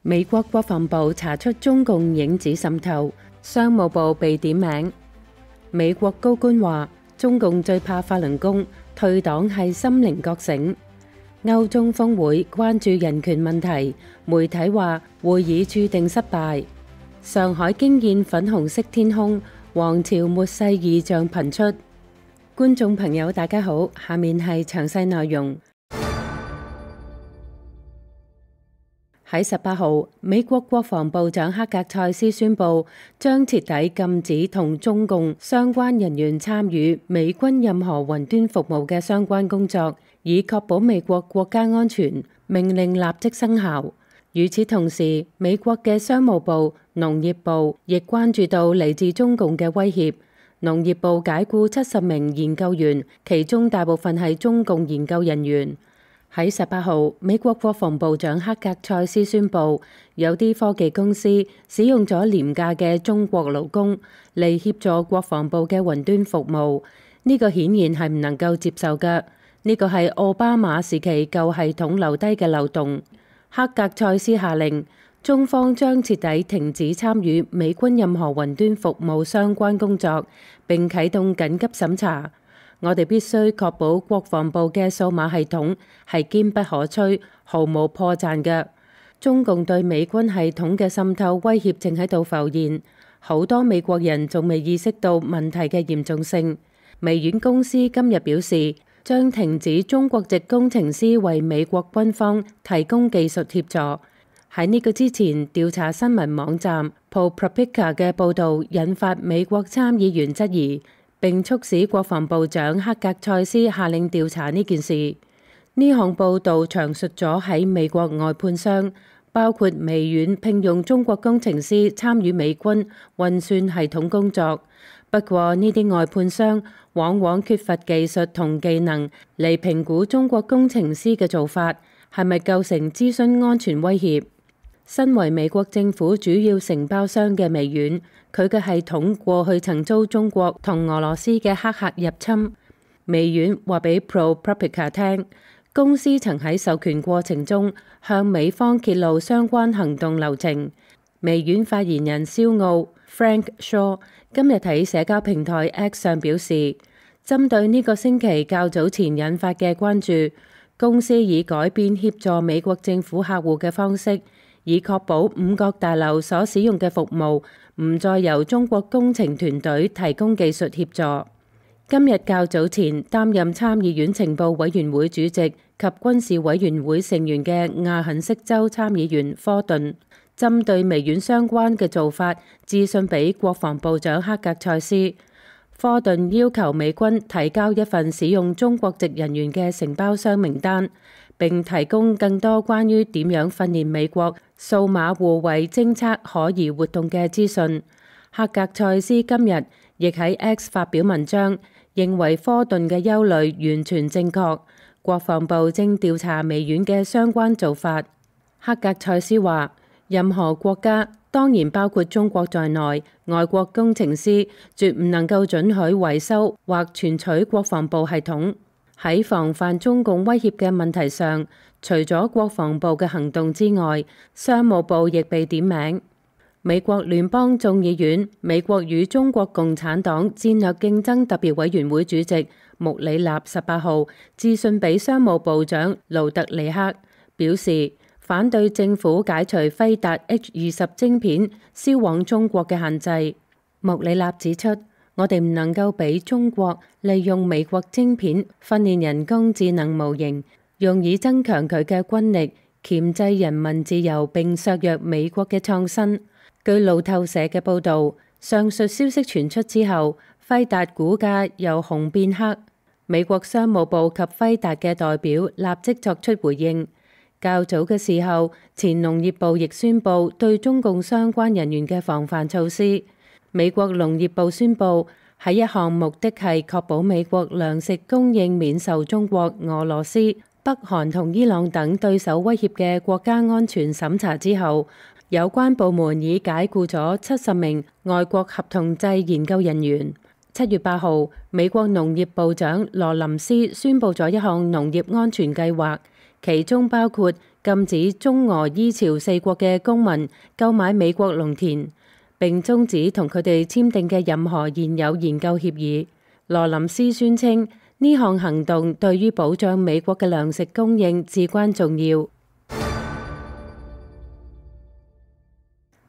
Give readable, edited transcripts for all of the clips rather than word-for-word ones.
美國國防部查出中共影子滲透，商務部被點名。美國高官話，中共最怕法輪功，退黨係心靈覺醒。歐中峰會關注人權問題，媒體話會議注定失敗。上海驚現粉紅色天空，王朝末世異象頻出。觀眾朋友大家好，下面係詳細內容。喺18號，美國國防部長克格塞斯宣布，將徹底禁止同中共相關人員參與美軍任何雲端服務嘅相關工作，以確保美國國家安全。命令立即生效。與此同時，美國嘅商務部、農業部亦關注到嚟自中共嘅威脅。農業部解僱70名研究員，其中大部分係中共研究人員。喺18號，美國國防部長克格塞斯宣布，有啲科技公司使用咗廉價嘅中國勞工嚟協助國防部嘅雲端服務。呢個顯然係唔能夠接受嘅。呢個係奧巴馬時期舊系統留低嘅漏洞。克格塞斯下令，中方將徹底停止參與美軍任何雲端服務相關工作，並啟動緊急審查。我哋必須確保國防部嘅數碼系統係堅不可摧、毫無破綻嘅。中共對美軍系統嘅滲透威脅正喺度浮現，好多美國人仲未意識到問題嘅嚴重性。微軟公司今日表示，將停止中國籍工程師為美國軍方提供技術協助。喺呢個之前，調查新聞網站 ProPublica 嘅報導引發美國參議員質疑，並促使國防部長克格塞斯下令調查呢件事。呢項報導詳述咗喺美國外判商，包括微軟聘用中國工程師參與美軍運算系統工作。不過呢啲外判商往往缺乏技術同技能嚟評估中國工程師嘅做法係咪構成資訊安全威脅。身為美國政府主要承包商嘅微軟，佢嘅系統過去曾遭中國同俄羅斯嘅黑客入侵。微軟話俾 ProPublica 聽，公司曾喺授權過程中向美方揭露相關行動流程。微軟發言人肖奧 Frank Shaw 今日喺社交平台 X 上表示，針對呢個星期較早前引發嘅關注，公司已改變協助美國政府客戶嘅方式，以確保五角大樓所使用嘅服務唔再由中國工程團隊提供技術協助。今日較早前擔任參議院情報委員會主席及軍事委員會成員嘅亞肯色州參議員科頓，針對微軟相關嘅做法，致信俾國防部長克格塞斯。科頓要求美軍提交一份使用中國籍人員嘅承包商名單，並提供更多關於點樣訓練美國數碼護衛偵測可疑活動嘅資訊。克格塞斯今日亦喺 X 發表文章，認為科頓嘅憂慮完全正確。國防部正調查微軟嘅相關做法。克格塞斯話，任何國家，當然包括中國在內，外國工程師絕唔能夠准許維修或存取國防部系統。喺防範中共威脅嘅問題上，除咗國防部嘅行動之外，商務部亦被點名。美國聯邦眾議院美國與中國共產黨戰略競爭特別委員會主席穆里納18號致信俾商務部長盧特尼克，表示反對政府解除輝達 H20晶片銷往中國嘅限制。穆里納指出，我哋唔能夠俾中國利用美國晶片訓練人工智能模型，用以增強佢嘅軍力，鉗制人民自由並削弱美國嘅創新。據路透社嘅報導，上述消息傳出之後，輝達股價由紅變黑。美國商務部及輝達嘅代表立即作出回應。較早嘅時候，前農業部亦宣布對中共相關人員嘅防範措施。美國農業部宣布，喺一項目的係確保美國糧食供應免受中國、俄羅斯、北韓同伊朗等對手威脅嘅國家安全審查之後，有關部門已解僱咗70名外國合同制研究人員。7月8號，美國農業部長羅林斯宣布咗一項農業安全計劃。其中包括禁止中俄伊朝四國嘅公民購買美國農田，並終止同佢哋簽訂嘅任何現有研究協議。羅林斯宣稱呢項行動對於保障美國嘅糧食供應至關重要。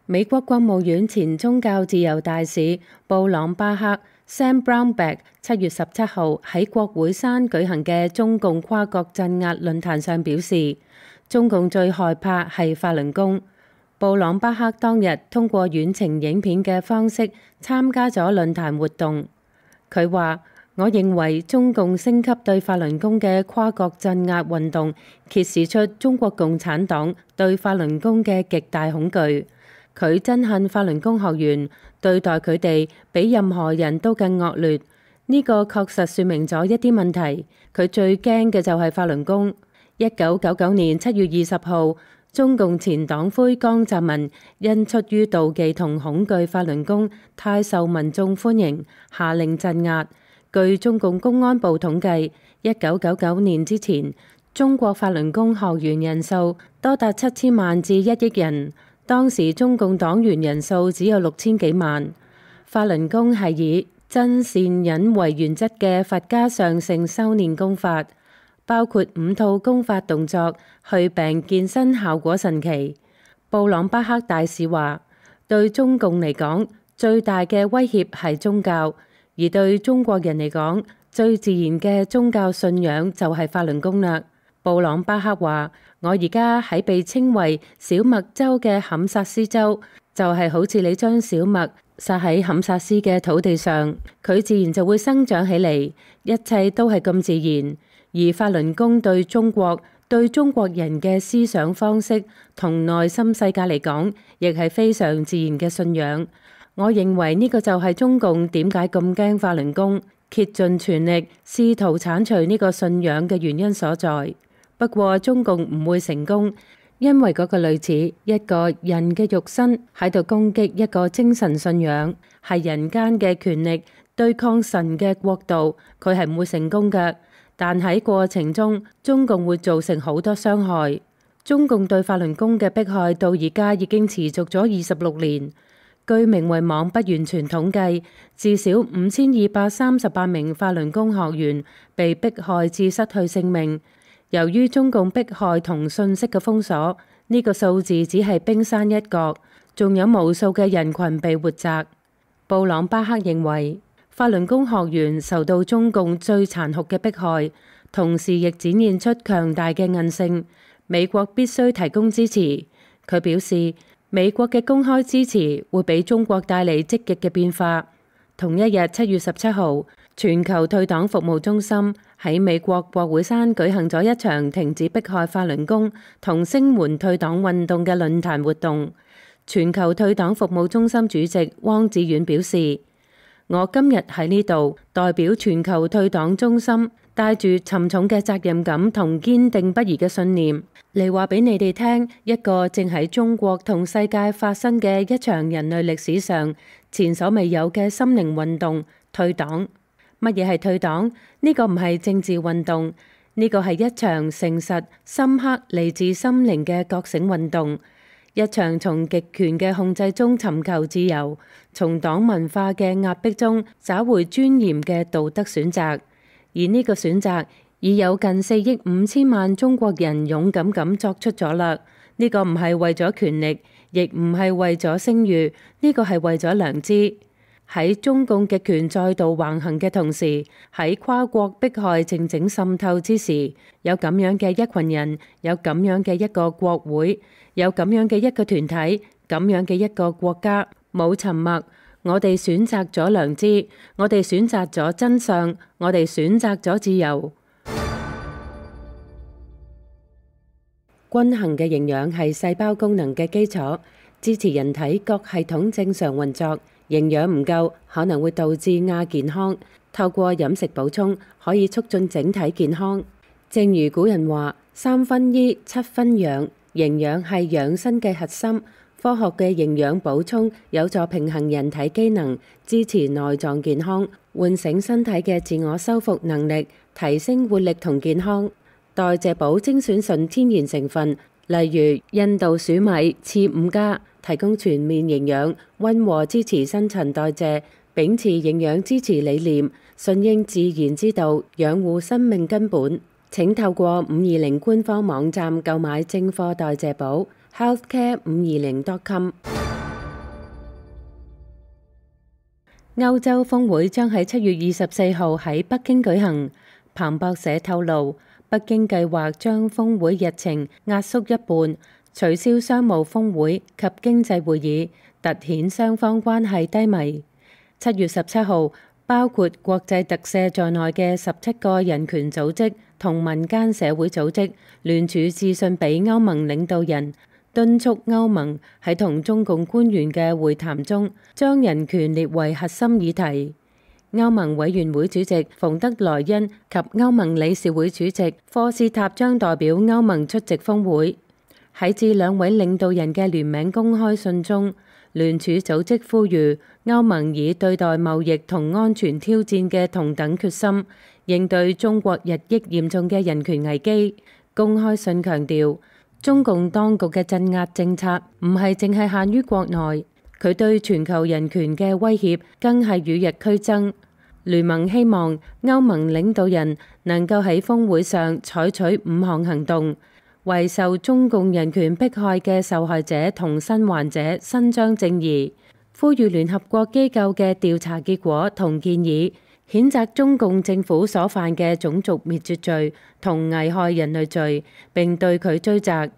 美國國務院前宗教自由大使布朗巴克 Sam Brownback 7月17號喺國會山舉行嘅中共跨國鎮壓論壇上表示，中共最害怕係法輪功。布朗巴克當日通過遠程影片嘅方式參加咗論壇活動。佢話：我認為中共升級對法輪功嘅跨國鎮壓運動，揭示出中國共產黨對法輪功嘅極大恐懼。佢憎恨法輪功學員，對待佢哋比任何人都更惡劣。呢個確實說明咗一啲問題。佢最驚嘅就係法輪功。1999年7月20號，中共前黨魁江澤民因出於妒忌同恐懼法輪功太受民眾歡迎，下令鎮壓。據中共公安部統計，1999年之前，中國法輪功學員人數多達7000萬至1億人。當時中共黨員人數只有6000幾萬。法輪功係以真善忍為原則嘅佛家上乘修煉功法，包括5套功法動作，去病健身效果神奇。布朗巴克大使話：對中共嚟講，最大嘅威脅係宗教，而對中國人嚟講，最自然嘅宗教信仰就係法輪功啦。布朗巴克話：我而家喺被稱為小麥州嘅堪薩斯州，就係好似你將小麥撒喺堪薩斯嘅土地上，佢自然就會生長起嚟，一切都係咁自然。而法輪功對中國、對中國人嘅思想方式同內心世界嚟講，亦係非常自然嘅信仰。我認為呢個就係中共點解咁驚法輪功，竭盡全力試圖剷除呢個信仰嘅原因所在。不過中共唔會成功，因為嗰個類似一個人嘅肉身喺度攻擊一個精神信仰，係人間嘅權力對抗神嘅國度，佢係唔會成功嘅。但喺過程中，中共會造成好多傷害。中共對法輪功嘅迫害到而家已經持續咗26年。據名為網不完全統計，至少5238名法輪功學員被迫害至失去性命。由於中共迫害同信息嘅封鎖，呢個數字只係冰山一角，仲有無數嘅人群被活摘。布朗巴克認為，法輪功學員受到中共最殘酷嘅迫害，同時亦展現出強大嘅韌性。美國必須提供支持。佢表示，美國嘅公開支持會俾中國帶嚟積極嘅變化。同一日7月17號，全球退黨服務中心喺美國國會山舉行咗一場停止迫害法輪功同聲援退黨運動嘅論壇活動。全球退黨服務中心主席汪志遠表示：我今日喺呢度代表全球退黨中心，帶住沉重嘅責任感同堅定不移嘅信念嚟話俾你哋聽，一個正喺中國同世界發生嘅一場人類歷史上前所未有嘅心靈運動——退黨。乜嘢係退黨？呢個唔係政治運動，呢個係一場誠實、深刻、嚟自心靈嘅覺醒運動，一場從極權嘅控制中尋求自由，從黨文化嘅壓迫中找回尊嚴嘅道德選擇。而呢個選擇已有近4億5千萬中國人勇敢咁作出咗啦。呢個唔係為咗權力，亦唔係為咗聲譽，呢個係為咗良知。喺中共極權再度橫行嘅同時，喺跨國迫害靜靜滲透之時，有咁樣嘅一群人，有咁樣嘅一個國會，有咁樣嘅一個團體，咁樣嘅一個國家，冇沉默。我哋選擇咗良知，我哋選擇咗真相，我哋選擇咗自由。均衡嘅營養係細胞功能嘅基礎，支持人體各系統正常運作。營養唔夠可能會導致亞健康，透過飲食補充可以促進整體健康。正如古人話：3分醫，7分養，營養係養生嘅核心。科學嘅營養補充有助平衡人體機能，支持內臟健康，喚醒身體嘅自我修復能力，提升活力同健康。代謝寶精選純天然成分，例如印度薯米次5加，提供全面營養，溫和支持新陳代謝，秉持營養支持理念，順應自然之道，養護生命根本。請透過520官方網站購買正貨代謝寶 healthcare520.com。歐洲峰會將喺7月24號喺北京舉行。彭博社透露，北京計劃將峰會日程壓縮一半，取消商務峰會及經濟會議，凸顯雙方關係低迷。7月17號，包括國際特赦在內嘅17個人權組織同民間社會組織聯署致信俾歐盟領導人，敦促歐盟喺同中共官員嘅會談中將人權列為核心議題。歐盟委員會主席馮德萊恩及歐盟理事會主席科斯塔將代表歐盟出席峰會。喺致兩位領導人嘅聯名公開信中，聯署組織呼籲歐盟以對待貿易同安全挑戰嘅同等決心，應對中國日益嚴重嘅人權危機。公開信強調，中共當局嘅鎮壓政策唔係淨係限於國內，佢對全球人權嘅威脅更係與日俱增。聯盟希望歐盟領導人能夠喺峰會上採取5項行動，為受中共人權迫害嘅受害者同生還者伸張正義，呼籲聯合國機構嘅調查結果同建議，譴責中共政府所犯嘅種族滅絕罪同危害人類罪，並對佢追責，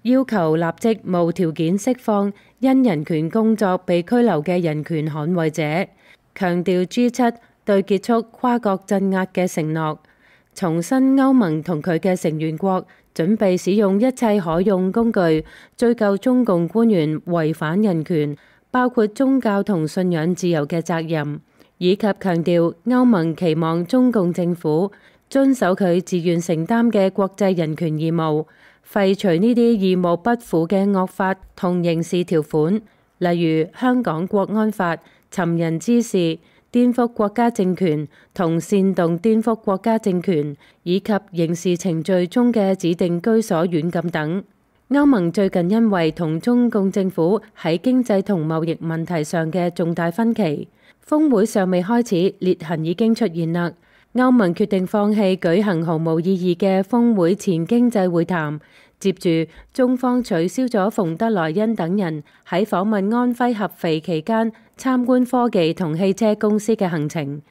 要求立即無條件釋放因人權工作被拘留嘅人權捍衛者，強調 G7對結束跨國鎮壓嘅承諾，重申歐盟同佢嘅成員國準備使用一切可用工具追究中共官員違反人權，包括宗教同信仰自由嘅責任，以及強調歐盟期望中共政府遵守佢自願承擔嘅國際人權義務，廢除呢啲義無不符嘅惡法同刑事條款，例如香港國安法、尋釁滋事、顛覆國家政權同煽動顛覆國家政權，以及刑事程序中嘅指定居所軟禁等。歐盟最近因為同中共政府喺經濟同貿易問題上嘅重大分歧，峰會尚未開始，裂痕已經出現啦。歐盟決定放棄舉行毫無意義嘅峰會前經濟會談。接住，中方取消咗馮德萊恩等人喺訪問安徽合肥期間參觀科技同汽車公司嘅行程。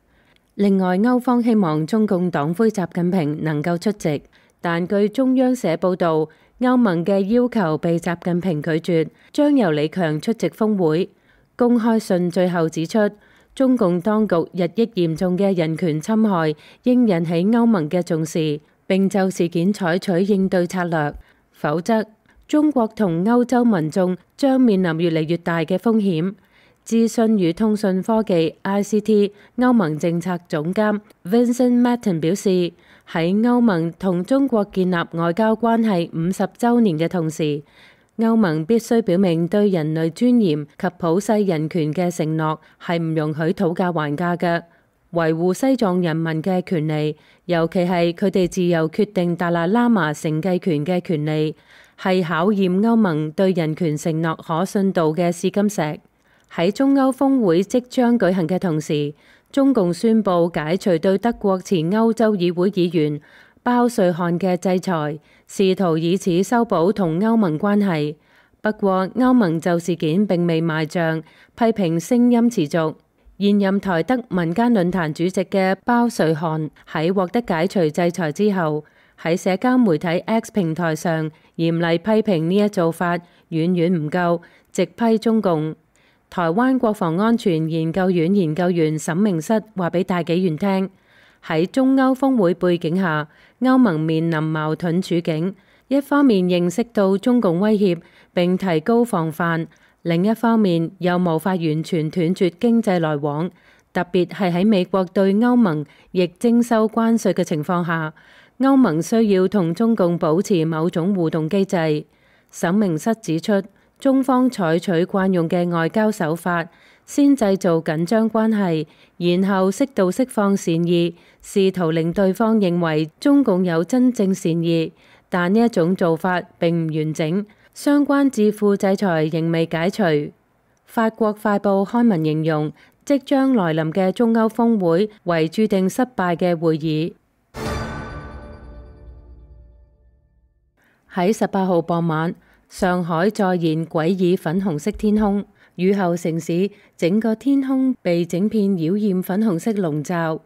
另外，歐方希望中共黨魁習近平能夠出席，但據中央社報導，歐盟嘅要求被習近平拒絕，將由李強出席峰會。公開信最後指出，中共當局日益嚴重嘅人權侵害應引起歐盟嘅重視，並就事件採取應對策略。否則，中國同歐洲民眾將面臨越嚟越大嘅風險。資訊與通訊科技 ICT 歐盟政策總監 Vincent Matten 表示，喺歐盟同中國建立外交關係50週年嘅同時，歐盟必須表明對人類尊嚴及普世人權嘅承諾係唔容許討價還價嘅。維護西藏人民嘅權利，尤其係佢哋自由決定達賴喇嘛承繼權嘅權利，係考驗歐盟對人權承諾可信度嘅試金石。喺中歐峰會即將舉行嘅同時，中共宣布解除對德國前歐洲議會議員包瑞漢嘅制裁，試圖以此修補同歐盟關係。不過，歐盟就事件並未賣賬，批評聲音持續。現任台德民間論壇主席嘅包瑞漢喺獲得解除制裁之後，喺社交媒體 X 平台上嚴厲批評呢一做法遠遠唔夠，直批中共。台灣國防安全研究院研究員沈明室話俾大紀元聽，喺中歐峰會背景下，歐盟面臨矛盾處境，一方面認識到中共威脅並提高防範，另一方面又無法完全斷絕經濟來往，特別係喺美國對歐盟亦徵收關稅嘅情況下，歐盟需要同中共保持某種互動機制。沈明室指出，中方採取慣用嘅外交手法，先製造緊張關係，然後適度釋放善意，試圖令對方認為中共有真正善意，但呢一種做法並唔完整，相關智庫制裁仍未解除。法國快報刊文形容，即將來臨嘅中歐峰會為注定失敗嘅會議。喺18號傍晚，上海再現詭異粉紅色天空，雨後城市整個天空被整片妖豔粉紅色籠罩，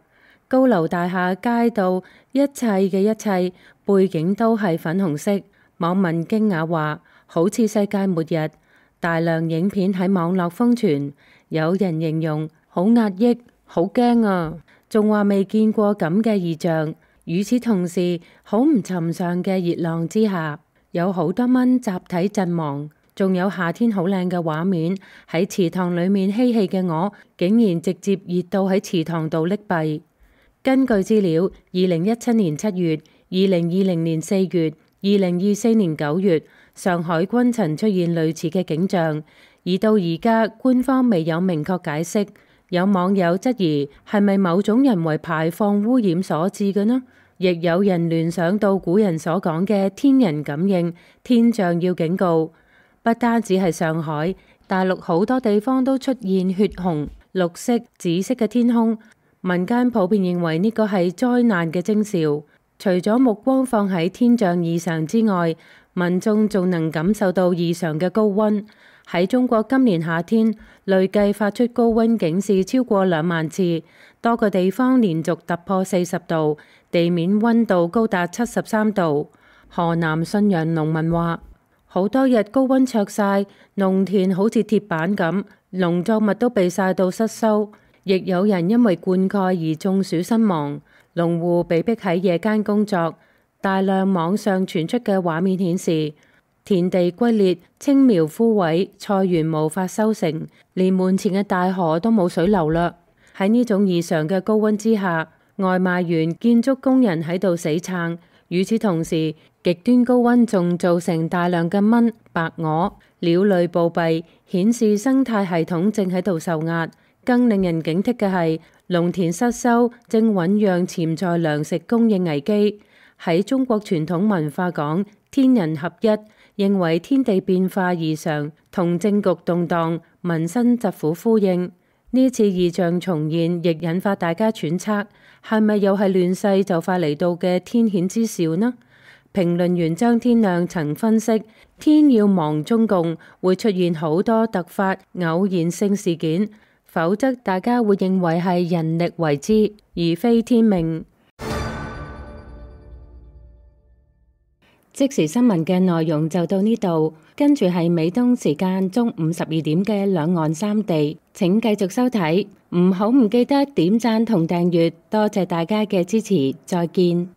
高樓大廈、街道，一切嘅一切背景都係粉紅色。網民驚訝話，好似世界末日。大量影片喺網絡瘋傳，有人形容好壓抑、好驚啊，仲話未見過咁嘅異象。與此同時，好唔尋常嘅熱浪之下，有好多蚊集體陣亡，仲有夏天好靚嘅畫面。喺池塘裡面嬉戲嘅我，竟然直接熱到喺池塘度溺斃。根據資料，2017年7月、2020年4月、2024年9月，上海均曾出現類似嘅景象，而到而家官方未有明確解釋。有網友質疑係咪某種人為排放污染所致嘅呢？亦有人聯想到古人所講嘅天人感應，天象要警告。不單止係上海，大陸好多地方都出現血紅、綠色、紫色嘅天空。民間普遍認為呢個係災難嘅徵兆。除咗目光放喺天象異常之外，民眾仲能感受到異常嘅高溫。喺中國今年夏天，累計發出高溫警示超過2萬次，多個地方連續突破40度，地面溫度高達73度。河南信陽農民話，好多日高溫灼曬，農田好似鐵板咁，農作物都被曬到失收。亦有人因為灌溉而中暑身亡，農戶被迫喺夜間工作。大量網上傳出嘅畫面顯示，田地龜裂，青苗枯萎，菜園無法收成，連門前嘅大河都冇水流啦。喺呢種異常嘅高溫之下，外賣員、建築工人喺度死撐。與此同時，極端高溫仲造成大量嘅蚊、白蛾、鳥類暴斃，顯示生態系統正喺度受壓。更令人警惕嘅係，農田失收正醞釀潛在糧食供應危機。喺中國傳統文化講天人合一，認為天地變化異常同政局動盪、民生疾苦呼應。呢次異象重現，亦引發大家揣測，係咪又係亂世就快嚟到嘅天譴之兆呢？評論員張天亮曾分析，天要亡中共會出現好多突發偶然性事件。否則大家會認為係人力為之，而非天命。即時新聞嘅內容就到呢度，跟住係美東時間中午12點嘅兩岸三地，請繼續收睇。唔記得點讚同訂閱，多謝大家嘅支持，再見。